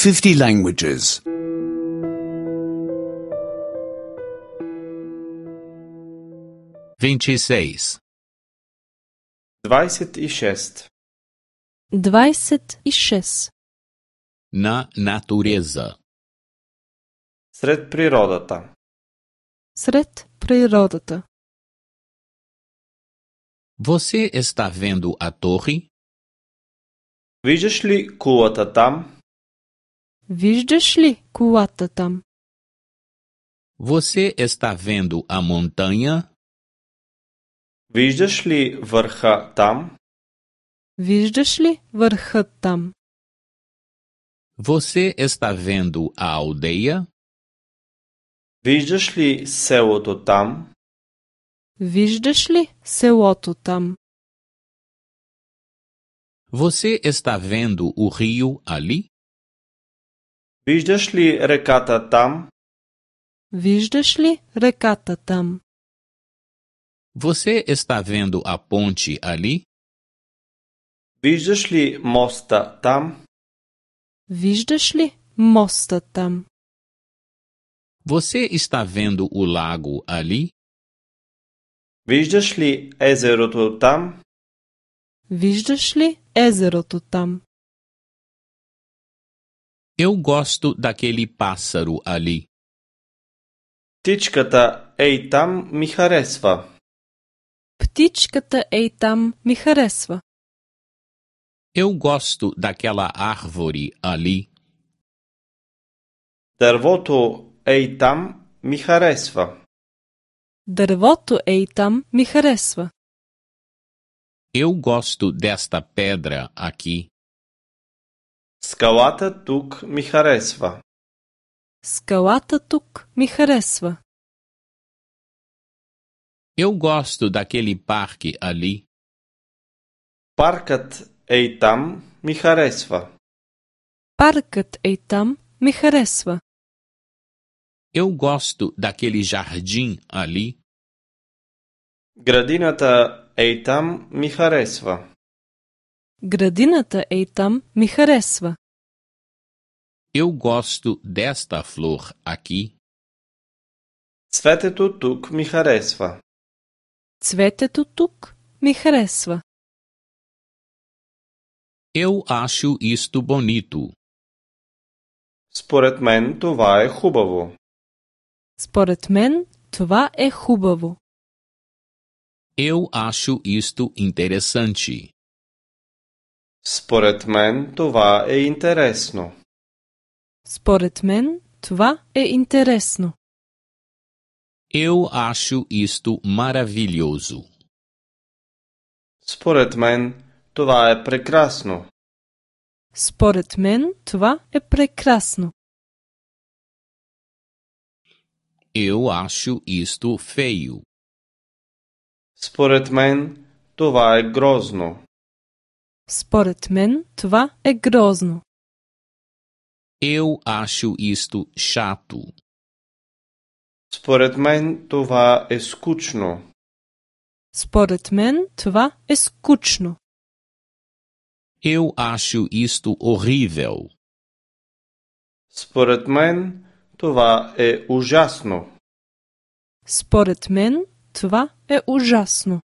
50 languages. 26. 26. 26. Na natureza. Сред природата. Сред природата. Você está vendo a torre? Виждаш ли кулата там? Виждаш ли кулата там? Você está vendo a montanha? Виждаш ли върха там? Виждаш ли върхът там? Você está vendo a aldeia? Виждаш ли селото там? Виждаш ли селото там? Você está vendo o rio ali? Виждаш ли реката там? Виждаш ли реката там? Você está vendo a ponte ali? Виждаш ли моста там? Виждаш ли моста там? Você está vendo o lago ali? Виждаш ли езерото там? Виждаш ли езерото там? Eu gosto daquele pássaro ali. Птичката ей там ми харесва. Птичката ей там ми харесва. Eu gosto daquela árvore ali. Дървото ей там ми харесва. Дървото ей там ми харесва. Eu gosto desta pedra aqui. Скалата тук ми харесва. Скалата тук ми харесва. Eu gosto daquele parque ali. Паркът ей там ми харесва. Паркът ей там ми харесва. Eu gosto daquele jardim ali. Градината ей там ми харесва. Градината ей там ми харесва. Eu gosto desta flor aqui. Цветето тук ми харесва. Цветето тук ми харесва. Eu acho isto bonito. Според мен това е хубаво. Според мен това е хубаво. Eu acho isto interessante. Според мен това е интересно. Според мен това е интересно. Eu acho isto maravilhoso. Според мен това е прекрасно. Според мен това е прекрасно. Eu acho isto feio. Според мен това е грозно. Според мен това е грозно. Eu acho isto chato. Според мен това е скучно. Според мен това е скучно. Eu acho isto horrível. Според мен това е ужасно. Според мен това е ужасно.